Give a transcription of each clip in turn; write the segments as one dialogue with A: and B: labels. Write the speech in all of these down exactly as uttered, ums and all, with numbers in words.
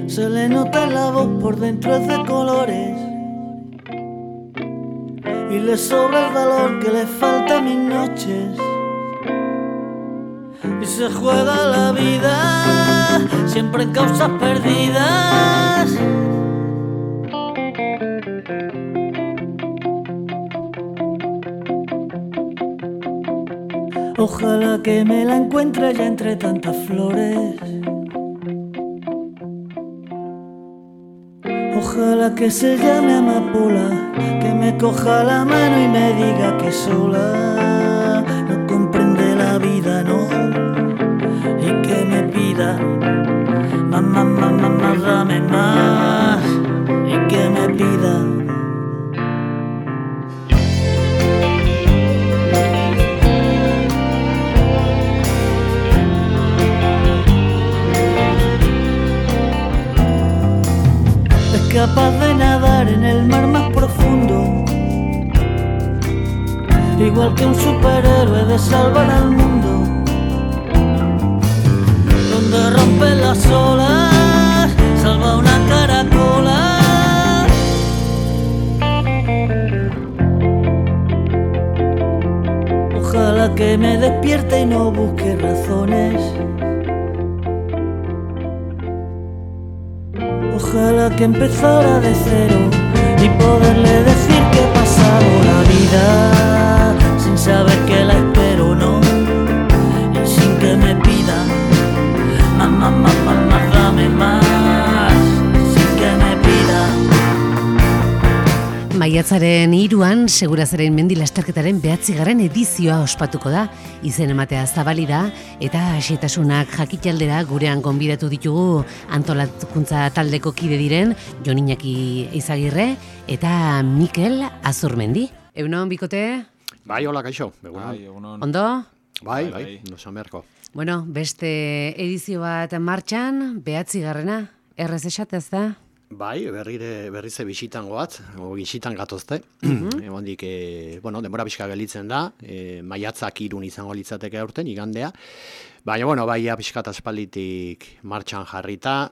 A: Se le nota en la voz, por dentro es de colores y le sobra el valor que le falta a mis noches. Y se juega la vida siempre en causas perdidas. Ojalá que me la encuentre ya entre tantas flores. Ojalá que se llame amapola, que me coja la mano y me diga que sola no comprende la vida, no, y que me pida más, más, más, más, más, dame más, y que me pida. Capaz de nadar en el mar más profundo, igual que un superhéroe de salvar al mundo, donde rompen las olas, salva una caracola. Ojalá que me despierte y no busque razones. Ojalá que empezara de cero y poderle decir que he pasado la vida sin saber que la espero, no, y sin que me pida más, más, más, más, más, dame más, sin que me pida.
B: Maiatzaren hiruan Segurazaren mendi lasterketaren behatzigarren edizioa ospatuko da, izen ematea zabali da, eta xehetasunak jakitaldera gurean gonbidatu ditugu antolakuntza taldeko kide diren Jon Iñaki Izagirre eta Mikel Azurmendi. Egunon, bikote?
C: Bai, hola, kaixo. Egunon.
B: Ondo?
C: Bai, bai, no samerko.
B: Bueno, beste edizio bat martxan, behatzigarrena, errez esatez da?
C: Bai, berrire, berrize bisitan goat, o bisitan gatozte. Mm-hmm. Egondik, e, bueno, denbora pixka gelitzen da, e, maiatzak irun izango litzateke aurten, igandea. Baina, bueno, bai, pixka aspalditik martxan jarrita,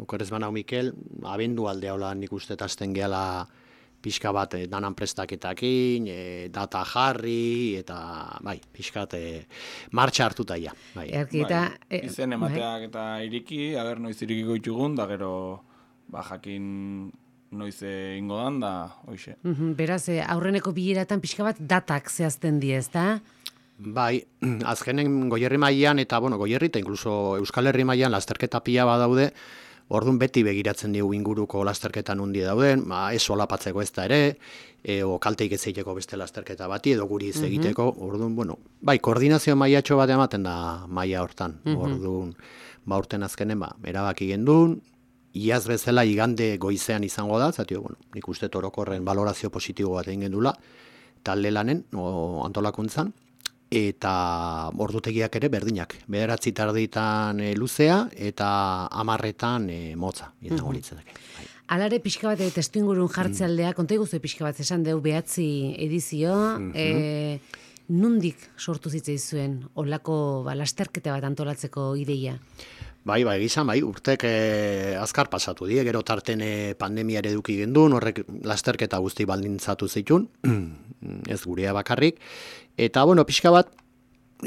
C: okerez banau Mikel, abendu alde hola nik uste azten gehala pixka bat e, danan prestaketakin, e, data jarri, eta bai, pixkat e, martxa hartuta ja. Bai.
D: Bai, izen emateak eta iriki, ager noiz irikiko ditugun, da gero ba jakin noiz ingo dan da, hoxe.
B: Uh-huh, beraz, aurreneko bileratan pixka bat datak zehazten die, ezta?
C: Bai, azkenen Goierri mailan eta, bueno, Goierri eta inkluso Euskal Herri mailan lasterketa pila badaude, orduan beti begiratzen digu inguruko lasterketan hundi dauden, ba, ez solapatzeko ez da ere, e, o kalteik ez egiteko beste lasterketa bati, edo guri ez egiteko, uh-huh. Orduan, bueno, bai, koordinazio mailatxo bat ematen da maila hortan, uh-huh. Orduan, ba, urten azkenen, ba, erabaki gendun, iaz bezala igande goizean izango da, zatio, bueno, nik uste orokorren valorazio positibo bat egin gendula, talde lanen, o antolakuntzan, eta ordutegiak ere berdinak. Bederatzi tarditan e, luzea eta hamarretan e, motza, izango mm-hmm. litzateke. Bai.
B: Alare pixka bat testu ingurun jartzealdea, mm. konta iguzu pixka bat esan deu behatzi edizio, mm-hmm. e, nundik sortu zitzaizuen olako ba, lasterketa bat antolatzeko ideia?
C: Bai, bai, gizan, bai, urtek eh, azkar pasatu die, gero tarten eh, pandemia ere eduki gendun, horrek lasterketa guzti baldintzatu zitun, ez gurea bakarrik, eta, bueno, pixka bat,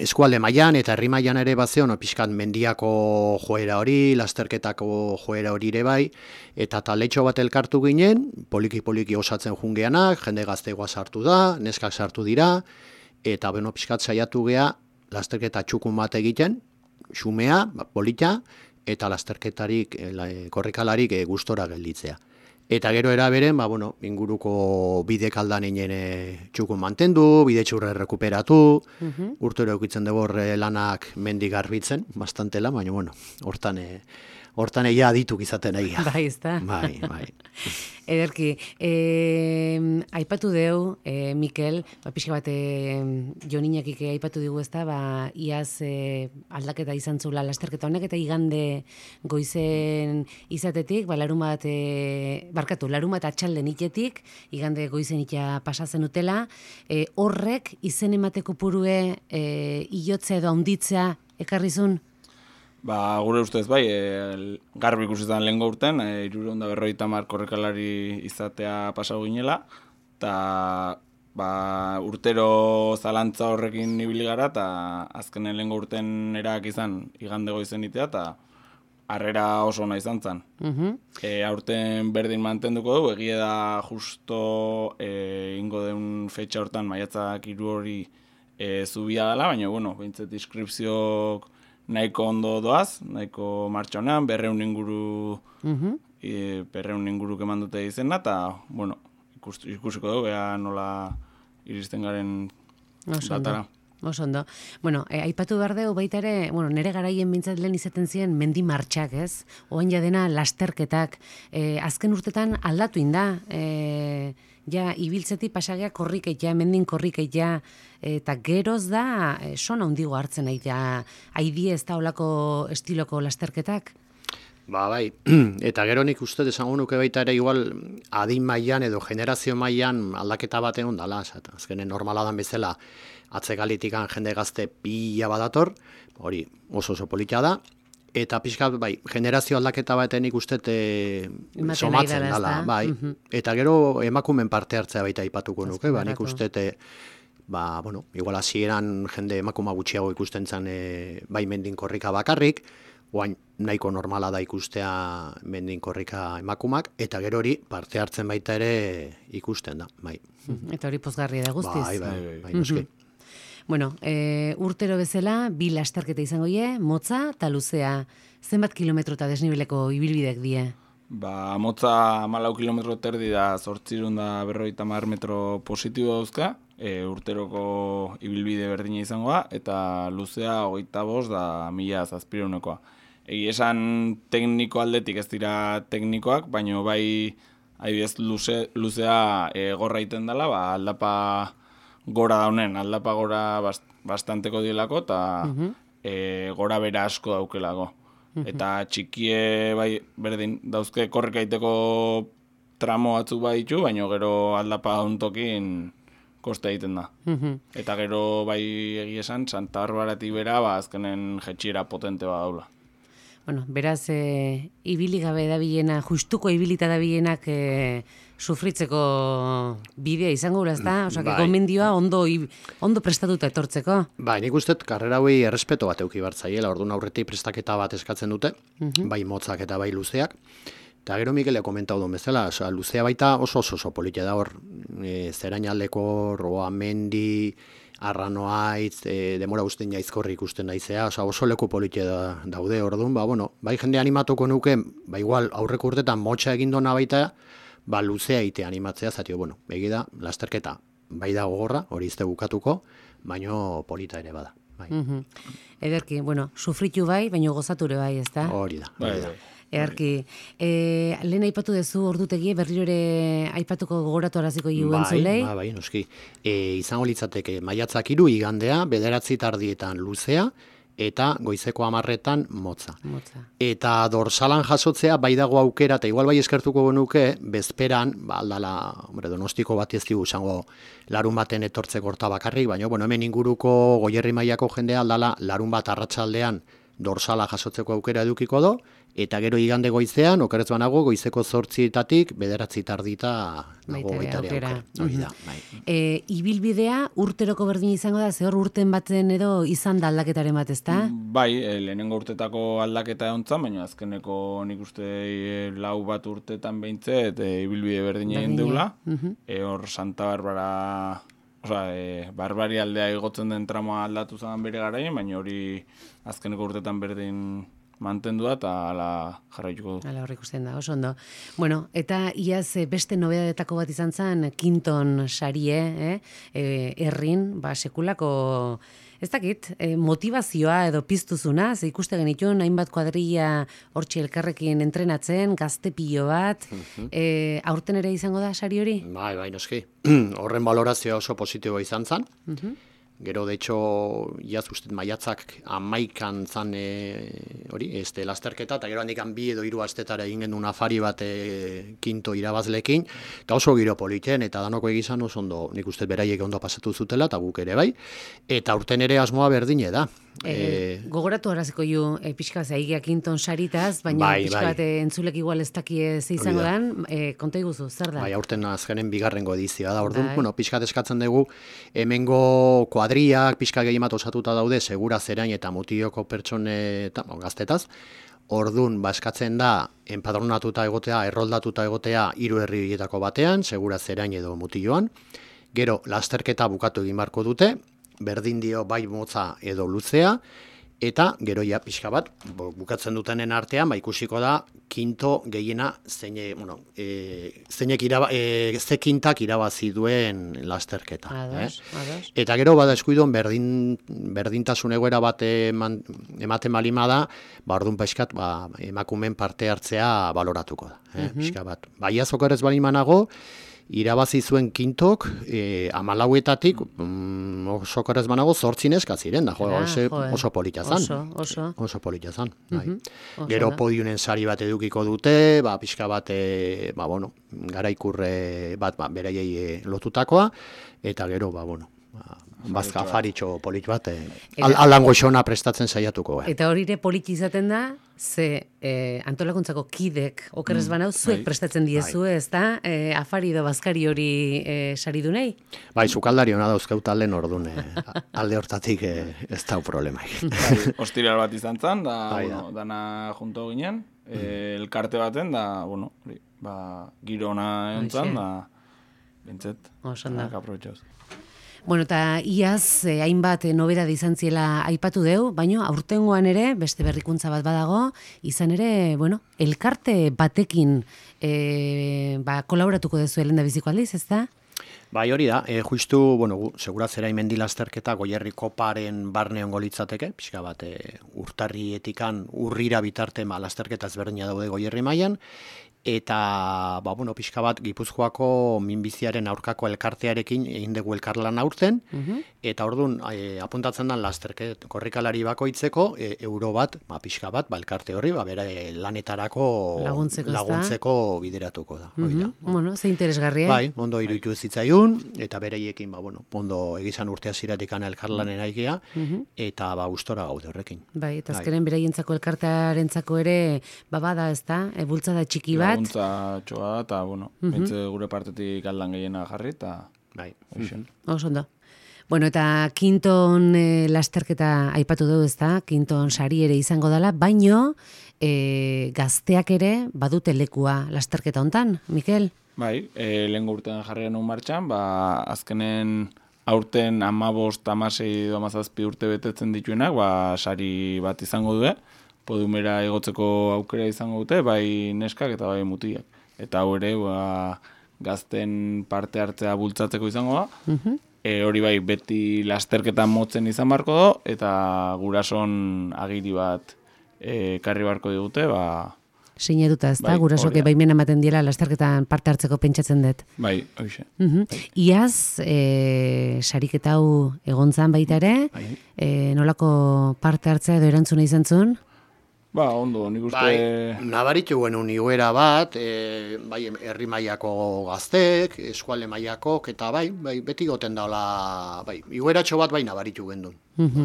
C: eskualde mailan eta herri mailan ere bazeon, pixkat mendiako joera hori, lasterketako joera hori ere bai, eta taletxo bat elkartu ginen, poliki-poliki osatzen jungeanak, jende gaztegoa sartu da, neskak sartu dira, eta, bueno, pixkat saiatu gea, lasterketa txukun bat egiten, xumea, polita, eta lasterketarik, e, korrikalarik e, gustora gelditzea. Eta gero eraberen, ba, bueno, inguruko bidek aldan inen e, txukun mantendu, bide txurre rekuperatu, uh-huh. urtero eukitzen dugu horre lanak mendik garbitzen, bastante lan, baina, bueno, hortan, e, hortan egia adituk izaten egia.
B: Bai, ez da.
C: Bai, bai.
B: Ederki, e, aipatu deu, e, Mikel, ba, pixka bat e, Joninakik aipatu digu ez da, ba, iaz e, aldaketa izan zula lasterketa honek, eta igande goizen izatetik, ba, larun bat, e, barkatu, larun bat atxalden itetik, igande goizen ita pasatzen utela, e, horrek izen emateko purue e, iotzea edo haunditzea ekarrizun?
D: Ba, gure ustez bai, e, garbi ikusitan lehengo urten, e, hirurehun eta berrogeita hamar korrikalari izatea pasau ginela, eta ba, urtero zalantza horrekin ibili gara, eta azkenen lehengo urten erak izan igande goizen itea, eta harrera oso ona izan zen.
B: Uh-huh.
D: E, aurten berdin mantenduko du, egia da justo e, ingo deun fetxa hortan maiatzak hiru hori e, zubia dela, baina, bueno, bintzet inskripzioak nahiko ondo doaz, nahiko martxa honean, berreun inguru,
B: uh-huh.
D: e, berreun inguru keman dute izena, eta, bueno, ikus, ikusiko dugu, beha nola iristen garen datara.
B: Oso ondo. Bueno, e, aipatu behar dugu baita ere, bueno, nere garaien bintzat lehen izaten ziren mendi martxak, ez? Oain jadena lasterketak. E, azken urtetan aldatu inda, e, ja, ibiltzeti pasagea korrikeia, mendin korrikeia, eta geroz da, e, sona hundigo hartzen aitea, haidie ez da olako estiloko lasterketak?
C: Ba, bai, eta gero nik uste esango nuke baita ere igual adin mailan edo generazio mailan aldaketa bat egon dala, azkenen normala dan bezala atzegalitikan jende gazte pila badator, hori oso oso polita da, eta pixka, bai, generazio aldaketa baten ikuste somatzen dala, bai, uh-huh. Eta gero emakumen parte hartzea baita aipatuko nuke, ba, nik uste ba, bueno, igual hasieran jende emakuma gutxiago ikusten zen e, bai mendin korrika bakarrik, oain nahiko normala da ikustea mendin korrika emakumak, eta gero hori parte hartzen baita ere ikusten da, bai.
B: Eta hori pozgarria da guztiz.
C: Bai, bai, bai, bai noski.
B: Bueno, e, urtero bezala, bi lasterketa izango ie, motza eta luzea. Zenbat kilometro eta desnibeleko ibilbidek die?
D: Ba, motza hamalau kilometro terdi da, zortzirun da berrogeita hamar metro positibo dauzka, e, urteroko ibilbide berdina izangoa, eta luzea hogeita bost da mila zazpirehunekoa. Egi esan tekniko aldetik ez dira teknikoak, baina bai adibidez luze, luzea e, gorra iten dela, ba, aldapa gora daunen, aldapa gora bast, bastanteko dielako, eta uh-huh. e, gora bera asko daukelako. Uh-huh. Eta txikie bai berdin dauzke korrikaiteko tramo batzuk baditu, baina gero aldapa dauntokin koste egiten da. Uh-huh. Eta gero bai egia esan, Santa Barbaratik bera, ba, azkenen jetxiera potente bat daula.
B: Bueno, beraz, e, ibili gabe dabilena, justuko ibilita dabilenak e, sufritzeko bidea izango gura, ez da? Osa, bai. Gomendioa ondo, ondo prestatuta etortzeko.
C: Bai, nik uste, karrera hoi errespeto bat euki bartzaiela, orduan aurretik prestaketa bat eskatzen dute, uh-huh. bai motzak eta bai luzeak. Eta gero Mikele komentau duen bezala, oza, luzea baita oso oso oso politia da hor, e, zerainaldeko, roa mendi, arranoaitz, e, demora usten jaizkorri ikusten daizea, oza, oso leku politia da, daude orduan, ba, bueno, bai jende animatuko nuke, ba igual aurreko urtetan motxa egindona baita, ba luzea ite animatzea, zatio, bueno, begida, lasterketa, bai da gogorra, hori izte bukatuko, baino polita ere bada. Bai.
B: Uh-huh. Ederki, bueno, sufritu bai, baino gozature bai, ez da?
C: Hori da, hori da.
B: Earki, e, lehen aipatu dezu ordutegie, berriro ere aipatuko gogoratu araziko hiu entzulei?
C: Bai, bai, noski. E, izango litzateke maiatzak hiru igandea, bederatzi tardietan luzea, eta goizeko hamarretan motza.
B: Motza.
C: Eta dorsalan jasotzea, bai dago aukera, eta igual bai eskertuko genuke, bezperan, ba, aldala, hombre, donostiko bat ez digu, izango larun baten etortzeko horta bakarrik, baina, bueno, hemen inguruko Goierri mailako jendea, aldala, larun bat arratsaldean dorsala jasotzeko aukera edukiko do, eta gero igande goizean, okerez banago, goizeko zortzietatik, bederatzi tardita nago baita ere aukera. Hori da, bai.
B: E, ibilbidea urteroko berdin izango da, zehor urten batzen edo izan da aldaketaren bat, ezta?
D: Bai, e, lehenengo urtetako aldaketa egontzan, baina azkeneko nik uste e, lau bat urtetan behintzet, e, ibilbide berdin egin deula. Uh-huh. E, hor Santa Barbara... Osa, e, Barbari aldea igotzen den tramoa aldatu zen bere garaien, baina hori azkeneko urtetan berdin mantendua eta ala jarraituko du.
B: Hala hor ikusten da, oso ondo. Bueno, eta iaz eh, beste nobedadetako bat izan zen, Quinton sarie, eh? eh, errin, ba, sekulako, ez dakit, eh, motivazioa edo piztuzuna, ze ikuste genituen, hainbat kuadrilla hortxe elkarrekin entrenatzen, gazte pilo bat, eh, aurten ere izango da sari hori?
C: Bai, bai, noski. Horren balorazioa oso positiboa izan zen. Gero, de hecho, iaz ustet maiatzak amaikan zan e, hori, este, lasterketa, eta gero handikan bi edo hiru astetara egin genuen afari bat e, kinto irabazlekin, eta oso giro politen, eta danoko egizan oso ondo, nik uste beraiek ondo pasatu zutela, eta guk ere bai, eta urten ere asmoa berdine da.
B: E, e, gogoratu horaziko ju e, pixka bat zaigia Quinton saritaz, baina
C: bai,
B: pixka
C: bai.
B: bat e, entzulek igual ez dakie ze izango dan, e, konta iguzu, zer da?
C: Bai, aurten azkenen bigarrengo edizioa da, orduan,
B: Bai.
C: bueno, pixka eskatzen dugu, hemengo kuadriak pixka gehiemat osatuta daude, segura zerain eta mutioko pertsone eta bon, gaztetaz, ordun ba eskatzen da enpadronatuta egotea, erroldatuta egotea hiru herrietako batean, segura zerain edo mutioan. Gero lasterketa bukatu egin barko dute, berdin dio bai motza edo luzea, eta gero ja pixka bat bukatzen dutenen artean ba ikusiko da kinto gehiena zeine, bueno, e, zeinek iraba, e, ze kintak irabazi duen lasterketa.
B: Ados,
C: eh?
B: ados.
C: Eta gero bada eskuidon berdin, berdintasun egoera bat eman, ematen balima da, ba orduan pixkat ba, emakumen parte hartzea baloratuko da. Eh?
B: Mhm.
C: Pixka bat. Baia zokerez balimanago, irabazi zuen kintok e, amalauetatik mm, oso korrez banago zortzin eska ziren, da jo,
B: Ah,
C: ose,
B: joe.
C: oso polita zan.
B: Oso, oso.
C: Oso polita zan. Bai.
B: Mhm, oso
C: Gero
B: da.
C: podiunen sari bat edukiko dute, ba, pixka bat, e, ba, bueno, garaikurre bat ba, beraiei e, lotutakoa, eta gero, ba, bueno, ba, bazka afaritxo polit bat, e, al,
B: Eta-
C: alango xona prestatzen saiatuko. Eh.
B: Eta hori ere politi izaten da, ze eh, antolakuntzako kidek okerrez banau, zuek
D: bai.
B: prestatzen diezu, ez da, eh, afari edo bazkari hori eh, saridunei?
C: Bai, sukaldari hona dauzkeu talden ordun, e, alde hortatik e, ez dau problemaik.
D: Bai, ostiral bat izan zen, da,
C: Bai,
D: bueno, dana junto ginen, e, elkarte baten, da, bueno, hori, ba, giro ona egon
B: Hoxe.
D: zen, da, bintzet,
B: Oso ondo.
D: aprobetxoz.
B: Bueno, eta iaz eh, hainbat eh, nobedade izan ziela aipatu deu, baino aurtengoan ere, beste berrikuntza bat badago, izan ere, bueno, elkarte batekin eh, ba, kolaboratuko dezu elenda biziko aldiz, ez da?
C: Bai, hori da, e, justu, bueno, gu, segurazera imendi lasterketa goierri koparen barne ongo litzateke, pixka bat e, urtarrietikan urrira bitarte ma lasterketa ezberdina daude goierri mailan, eta, ba, bueno, pixka bat Gipuzkoako minbiziaren aurkako elkartearekin egin dugu elkarlan aurten, eta orduan e, apuntatzen dan lasterket korrikalari bakoitzeko e, euro bat, ba, pixka bat, ba, elkarte horri, ba, bere lanetarako
B: Laguntzeko, ezta?
C: laguntzeko bideratuko da. hori da.
B: Mhm. Bueno, ze interesgarria.
C: Bai, ondo iruditu zitzaigun, eta bereiekin, ba, bueno, ondo egizan urtea ziratik elkarlanen aigia, eta ba, gustora gaude horrekin.
B: Bai, eta
C: Bai.
B: azkenen beraientzako elkartearentzako ere, ba, bada, ez da, e, bultzada txiki bat.
D: Laguntza txoa da, eta, bueno, bintze gure partetik aldan gehiena jarri, eta,
C: Bai.
D: hoxen.
B: Oso ondo. Bueno, eta Quinton e, lasterketa aipatu dugu, ez da, Quinton sari ere izango dela, baino e, gazteak ere badute lekua lasterketa hontan, Mikel?
D: Bai, e, lehen urtean jarri genuen martxan, ba, azkenen aurten amabost, amasei edo amazazpi urte betetzen dituenak, ba, sari bat izango due, podumera igotzeko aukera izango dute, bai neskak eta bai mutiak. Eta hau ere, ba, gazten parte hartzea bultzatzeko izango da, e, hori bai beti lasterketan motzen izan barko do, eta gurason agiri bat e, karri barko digute, ba,
B: Sinatuta, ez da,
D: Bai,
B: gurasoke
D: hori da.
B: baimena ematen diela lasterketan parte hartzeko pentsatzen dut.
D: bai, hoxe.
B: Mhm. Iaz, e, sariketa hau egon zan baita ere,
C: Bai.
B: e, nolako parte hartzea edo erantzuna izan zuen?
D: Ba, ondo, nik uste...
C: Bai, nabaritu genuen igoera bat, e, bai, herri mailako gaztek, eskualde mailakok, eta bai, bai, beti goten daula, bai, igoeratxo bat bai nabaritu gendun,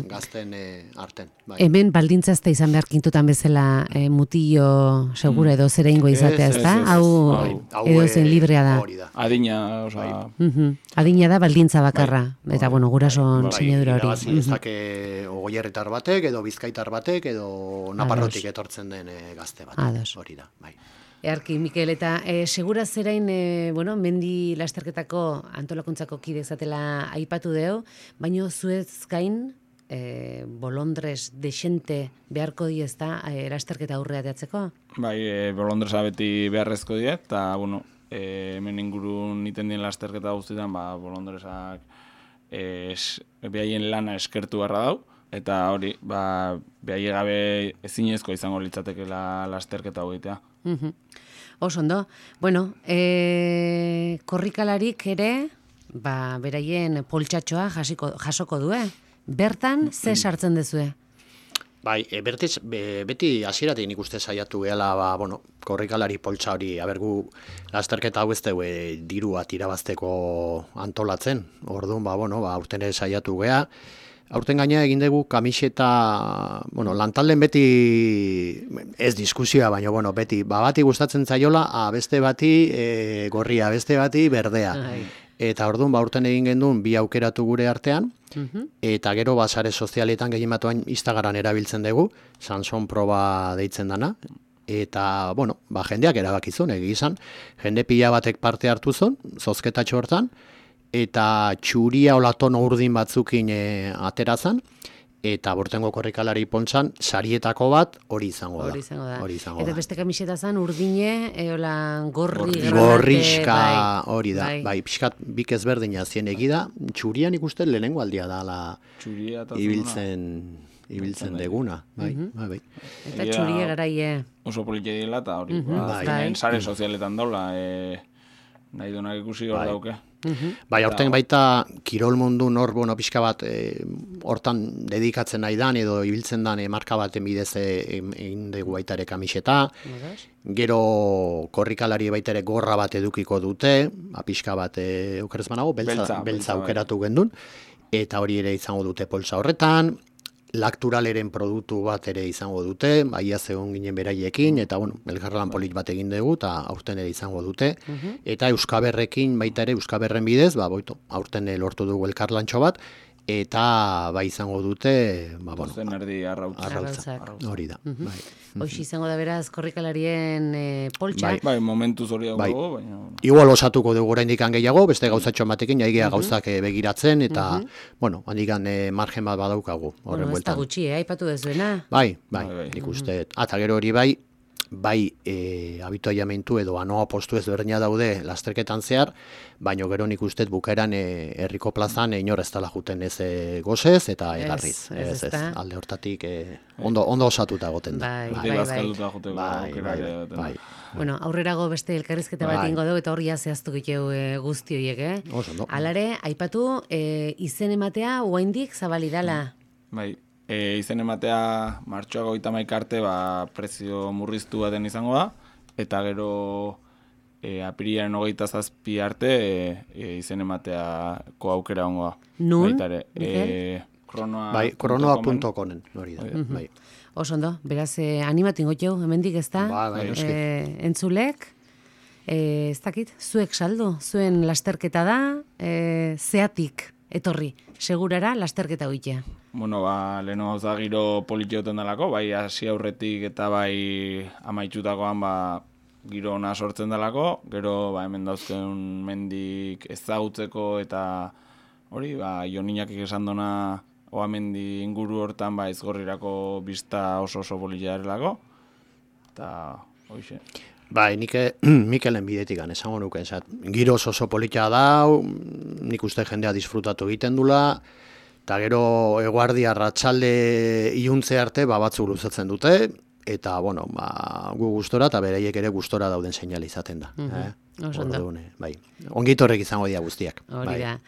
C: gazten e, arten. Bai.
B: Hemen baldintza ez da izan behar kintutan bezala e, mutillo segura edo zera ingo izatea,
C: Ez,
B: ez da?
D: ez, ez.
B: Hau
D: Bai,
C: Hau,
B: edo
C: e,
B: zen librea da.
C: Hori da.
D: Adina, oza,
B: Mhm. Adina da baldintza bakarra, eta bueno, gurason
C: Bai,
B: sinadura hori.
C: irabazi ez dake ogoierritar batek, edo bizkaitar batek, edo naparrotik etortzen den e, gazte bat.
B: Ados.
C: Hori da, bai.
B: Earki, Mikel, eta e, segura zerain, e, bueno, mendi lasterketako antolakuntzako kide zatela aipatu deu, baino zuez gain, e, bolondres desente beharko di ez da, e, lasterketa aurrea teatzeko?
D: Bai, e, bolondresa beti beharrezko die, eta, bueno, e, hemen ingurun iten dien lasterketa guztietan, ba, bolondresak e, behaien lana eskertu beharra dau, eta hori, ba, behaie gabe ezinezko izango litzatekela lasterketa hogetea.
B: Uhum. Oso ondo. Bueno, e, korrikalarik ere, ba, beraien poltsatxoa jasiko, jasoko du, eh? Bertan, ze sartzen dezue?
C: Bai, e, bertiz, be, beti hasieratik nik uste saiatu gehala, ba, bueno, korrikalari poltsa hori, abergu lasterketa hau ez dugu e, diru bat irabazteko antolatzen. Orduan, ba, bueno, ba, aurten ere saiatu gea. Aurten gaina egin dugu kamiseta, bueno, lantalden beti, ez diskusioa, baina, bueno, beti, ba, bati gustatzen zaiola, a, beste bati e, gorria, beste bati berdea. Ai. Eta orduan, ba, aurten egin genduen bi aukeratu gure artean, uh-huh. Eta gero, ba, sare sozialetan gehien batuan Instagram erabiltzen dugu, Sanson proba deitzen dana, eta, bueno, ba, jendeak erabakizun, egi izan, jende pila batek parte hartu zuen, zozketatxo hortan, eta txuria olatono urdin batzukin e, aterazan, eta bortengo korrikalari pontzan, sarietako bat hori izango da.
B: Hori izango da.
C: Hori izango
B: eta
C: da.
B: beste kamiseta zan urdine, eola gorri,
C: Gorri,
B: granate,
C: gorriska
B: bai,
C: hori da.
B: Bai,
C: bai pixkat bik ezberdina zien egida, txurian ikusten lehenengo aldia da la ibiltzen ibiltzen deguna, bai,
B: uh-huh.
C: bai, bai.
B: Eta txurie garaie.
D: Oso politia dela, eta hori,
B: uh-huh.
D: ba,
B: bai.
D: sare sozialetan daula, e, nahi duenak ikusi hor
C: bai.
D: dauke.
B: Uh-huh.
C: Bai, aurten baita kirol mundu nor, bueno, pixka bat e, hortan dedikatzen nahi dan edo ibiltzen dan e, marka baten bidez egin dugu baita ere kamiseta. Gero korrikalari baita ere gorra bat edukiko dute, a, pixka bat e, okerez banago, beltza, beltza, beltza aukeratu bai. Gendun, eta hori ere izango dute poltsa horretan. Lakturaleren produktu bat ere izango dute, baia zegoen ginen beraiekin, eta bueno, elkarlan polit bat egin dugu, eta aurten ere izango dute. Uh-huh. Eta Euskaberrekin baita ere, Euskaberren bidez, ba, boito, aurten lortu dugu elkarlantxo bat, eta bai izango dute, ba, bueno,
D: Zen erdi arrautza.
C: Arrautza, hori da.
B: Uh-huh.
C: Bai.
B: Hoxe izango da beraz korrikalarien e, poltsa.
D: Bai, bai, momentuz hori dago,
C: bai.
D: baina...
C: Igual osatuko dugu oraindik gehiago, beste gauzatxo batekin, jaigea uh-huh. gauzak e, begiratzen, eta, uh-huh. bueno, handikan e, margen bat badaukagu.
B: Bueno, ez da gutxi, eh, aipatu dezuena.
C: Bai, bai,
D: bai, bai.
C: nik uste. Uh-huh. Eta gero hori bai, bai e, habituaiamentu edo anoa postu ez berdina daude lasterketan zehar, baino gero nik uste bukaeran e, herriko plazan e, inor ez dela juten ez e, gozez eta egarriz. Ez, ez, ez, alde hortatik e, ondo, ondo osatuta goten da.
B: Bai, bai, bai.
D: bai,
C: bai, bai, bai.
B: Bueno, aurrerago beste elkarrizketa bat ingo dugu eta horria zehaztu giteu e, guzti horiek, eh?
C: Oso, no?
B: Alare, aipatu e, izen ematea oaindik zabalidala.
D: Bai. E, izen ematea martxoak hogeita hamaika arte ba, prezio murriztu baten izango da, eta gero e, apirilaren hogeita zazpi arte e, e, izen emateako aukera ongo da.
B: Nun?
D: E, kronoa
C: bai, kronoa punto comen hori da.
B: Uh-huh.
C: Bai.
B: Oso ondo, beraz, eh, animatu ingoteu, hemendik ez da?
C: Ba, bai, noski.
B: Eh, entzulek, eh, ez dakit, zuek saldo, zuen lasterketa da, eh, zeatik etorri, segurara lasterketa hoitea.
D: Bueno, ba, leheno gauza giro politioten dalako, bai hasi aurretik eta bai amaitxutakoan ba, giro ona sortzen dalako, gero ba, hemen dauzken mendik ezagutzeko eta hori, ba, Joninakik esan dona oa mendi inguru hortan ba, izgorrirako bista oso oso politia erelako, eta hoixe.
C: Bai, nik Mikelen bidetik gan, esango nuken, giro oso politia da, nik uste jendea disfrutatu egiten dula, eta gero eguardi arratsalde iluntze arte ba, batzuk luzatzen dute, eta bueno, ba, gu gustora eta beraiek ere gustora dauden seinale izaten da.
B: Uh-huh.
C: eh?
B: Oso ondo.
C: Bai. Ongitorrek izango dira guztiak.
B: Hori
C: bai.
B: da.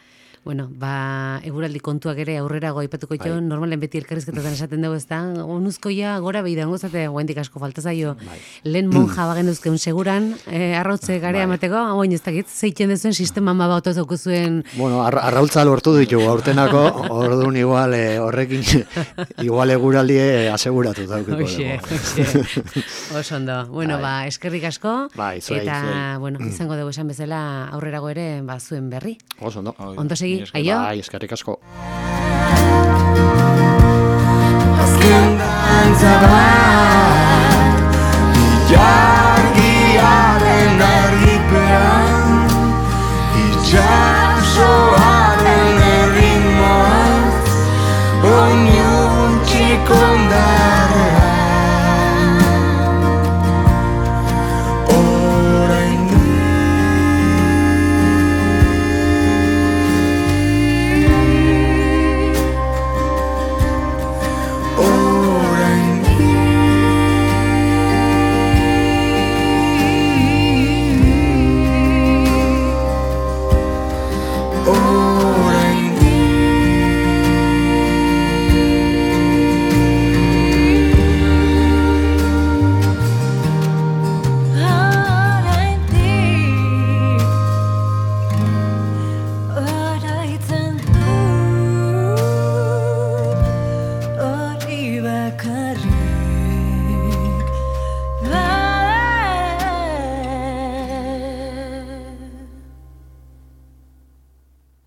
B: Bueno, ba, eguraldi kontuak ere aurrerago aipatuko jo, bai. Normalen beti elkarrizketetan esaten dugu ez da, onuzkoia gora behidango zate, guendik asko falta zaio. Bai. Lehen monja bagen duzkeun seguran, eh, arrautze garea bai. Amateko, hauen ez dakit, zeiten duzuen sistema ma bat otozuko zuen...
C: Bueno, ar arrautza lortu ditugu, aurtenako, orduan igual, eh, horrekin, igual eguraldi aseguratu daukiko.
B: Oxe, oxe. Oso ondo. Bueno, bai. Ba, eskerrik asko,
C: bai, zuei,
B: eta,
C: zuei.
B: Bueno, izango dugu esan bezala aurrerago ere, ba, zuen berri.
C: Oso ondo.
B: Ondo segi. Aio?
C: Bai, eskerrik asko.
A: Azken dantza bat,